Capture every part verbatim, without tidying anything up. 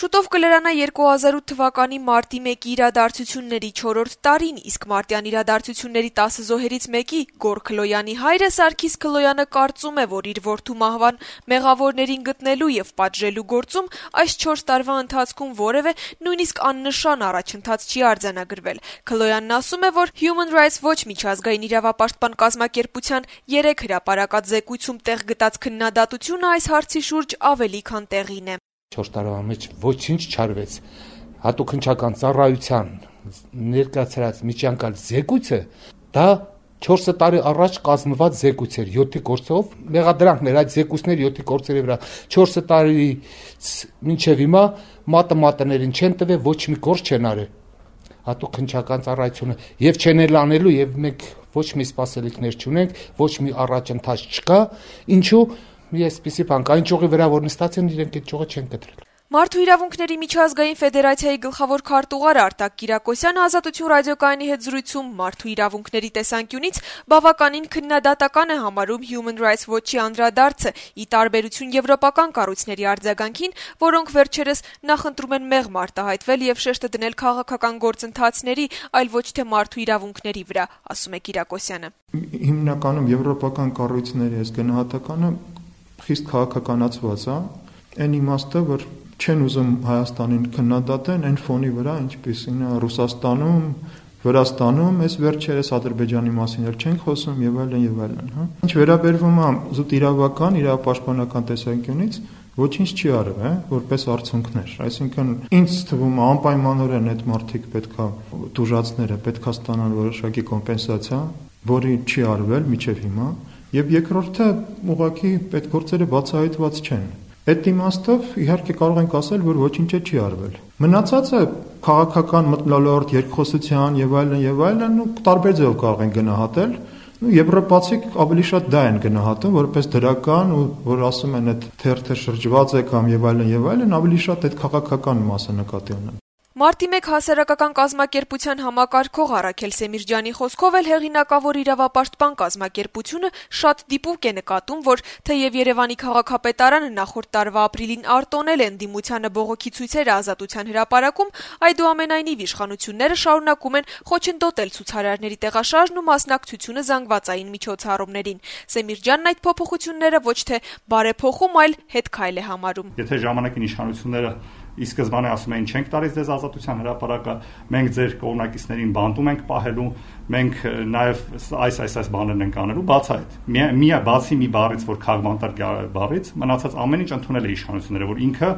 Շուտով կլրանա երկու հազար ութ թվականի մարտի մեկի իրադարձությունների չորրորդ տարին, իսկ մարտյան իրադարձությունների տասը զոհերից մեկի Գոր Քլոյանի հայրը Սարգիս Քլոյանը կարծում է, որ իր որդու մահվան մեղավորներին գտնելու եւ պատժելու գործում այս չորս տարվա ընթացքում որևէ նույնիսկ աննշան առաջընթաց չի արձանագրվել։ Քլոյանն ասում է, որ Human Rights Watch միջազգային իրավապաշտպան կազմակերպության երեք հրապարակած զեկույցում տեղ գտած քննադատությունը այս հարցի շուրջ ավելի քան տեղին է։ չորս տարվա մեջ ոչինչ չարվեց։ Հատուկ հնչական ծառայության ներկայացրած միջանկյալ զեկույցը դա չորս տարի առաջ կազմված զեկույց էր յոթի կորսով, մեղադրանքներ այդ զեկույցների յոթի կորսերի վրա չորս տարից մինչև հիմա մատը մատներին չեն տվել, ոչ մի գործ չեն արել։ Հատուկ հնչական ծառայությունը եւ չեն էլ անելու եւ մենք ոչ մի սպասելիքներ չունենք, ոչ մի առաջընթաց չկա, ինչու մի այսպիսի բան կա, ինչ ճյուղի վրա որ նստած են, իրենք այդ ճյուղը չեն կտրել։ Մարդու իրավունքների միջազգային ֆեդերացիայի գլխավոր քարտուղար Արտակ Կիրակոսյանը Ազատություն ռադիոկայանի հետ զրույցում մարդու իրավունքների տեսանկյունից բավականին քննադատական է համարում Human Rights Watch-ի անդրադարձը՝ ի տարբերություն եվրոպական կառույցների արձագանքին, որոնք վերջերս նախընտրում են մեղմ արտահայտվել եւ շեշտը դնել քաղաքական գործընթացների, այլ ոչ թե մարդու իրավունքների վրա, ասում է Կիրակոսյանը։ Հիմնականում եվրոպական կառույցների այս գնահատականը խիստ քաղաքականացված է, այն իմաստը, որ չեն ուզում Հայաստանին քննադատեն այն ֆոնի վրա, ինչպիսին է Ռուսաստանում, Վրաստանում, այս վերջերս Ադրբեջանի մասին էլ չենք խոսում եւ այլն եւ այլն, հա։ Ինչ վերաբերվում է զուտ իրավական, իրավապաշտպանական տեսանկյունից, ոչինչ չի արվել, հա, որպես արդյունքներ։ Այսինքն ինձ թվում է անպայմանորեն այդ մարդիկ պետքա դուժացները պետքա ստանան որոշակի կոմպենսացիա, որի չի արվել մինչև հիմա, եւ երկրորդը ուղղակի այդ գործերը բացահայտված չեն։ Այդ իմաստով իհարկե կարող ենք ասել, որ ոչինչ չի արվել։ Մնացածը քաղաքական մթնոլորտ, երկխոսության եւ այլն եւ այլն ու տարբեր ձեւով կարող են գնահատել։ Ու եվրոպացիք ավելի շատ դա են գնահատում որպես դրական ու որ ասում են այդ թերթը շրջված է կամ եւ այլն եւ այլն ավելի շատ այդ քաղաքական մասը նկատի ունեն։ Մարտի մեկ հասարակական կազմակերպության համակարգող Առաքել Սեմիրջյանի խոսքով էլ հեղինակավոր իրավապաշտպան կազմակերպությունը շատ դիպուկ է նկատում, որ թեև Երևանի քաղաքապետարանը նախորդ տարվա ապրիլին արտոնել է ընդդիմությանը բողոքի ցույցերը Ազատության հրապարակում, այդուամենայնիվ իշխանությունները շարունակում են խոչընդոտել ցուցարարների տեղաշարժն ու մասնակցությունը զանգվածային միջոցառումներին։ Սեմիրջյանն այդ փոփոխությունները ոչ թե բարեփոխում, այլ հետքայլ է համարում։ Եթե ժամանակին իշխանությունները ի սկզբանե ասում էին չենք տալիս ձեզ Ազատության հրապարակը, մենք ձեր կողմնակիցներին բանտում ենք պահելու, մենք նաև այս այս այս բաներն ենք անելու, բաց այդ։ Մի բացի մի բառից, որ քաղաքական բառից, մնացած ամեն ինչ ընդունել է իշխանությունները, որ ինքը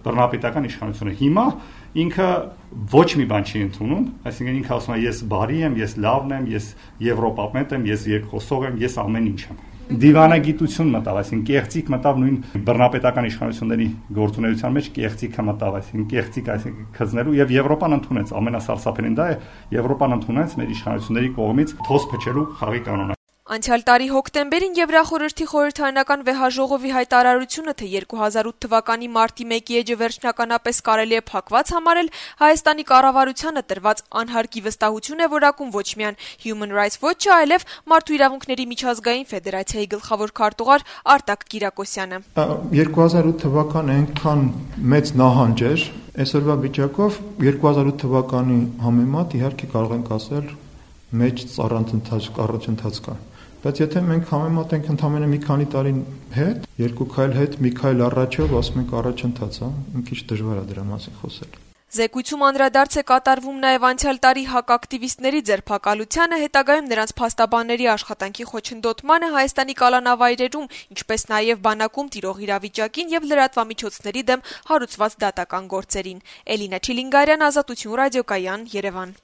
բռնապետական իշխանությունը հիմա ինքը ոչ մի բան չի ընդունում, այսինքն ինքը ասում է ես բարի եմ, ես լավն եմ, ես եվրոպապետ եմ, ես երկխոսող եմ, ես ամեն ինչ եմ։ Դիվանագիտություն մտավ, այսինքն կեղծիք մտավ նույն բռնապետական իշխանությունների գործունեության մեջ կեղծիքը մտավ, այսինքն կեղծիք, այսինքն քզնելու եւ Եվրոպան ընդունեց, ամենասարսափելին դա է, Եվրոպան ընդունեց մեր իշխանությունների կողմից թոս փչելու խաղի կանոնը։ Անցյալ տարի հոկտեմբերին Եվրախորհրդի խորհրդարանական վեհաժողովի հայտարարությունը, թե երկու հազար ութ թվականի մարտի մեկի էջը վերջնականապես կարելի է փակված համարել, Հայաստանի կառավարությանը տրված անհարկի վստահություն է որակում ոչ միայն Human Rights Watch-ը, այլև Մարդու իրավունքների միջազգային ֆեդերացիայի գլխավոր քարտուղար Արտակ Կիրակոսյանը։ երկու հազար ութ թվականը այնքան մեծ նահանջ էր, այսօրվա վիճակով երկու հազար ութ թվականի համեմատ իհարկե կարող ենք ասել մեծ առանցընթաց առաջընթաց կա։ Բայց եթե մենք համեմատենք ընդամենը մի քանի տարի հետ, երկու քայլ հետ, մի քայլ առաջով, ասում ենք առաջընթաց, հա, մի քիչ դժվար է դրա մասին խոսել։ Զեկույցում անդրադարձ է կատարվում նաև անցյալ տարի հակակտիվիստների ձերբակալությանը, հետագայում նրանց փաստաբանների աշխատանքի խոչընդոտմանը Հայաստանի կալանավայրերում, ինչպես նաև բանակում տիրող իրավիճակին եւ լրատվամիջոցների դեմ հարուցված դատական գործերին։ Էլինա Չիլինգարյան, Ազատություն ռադիոկայան, Երևան։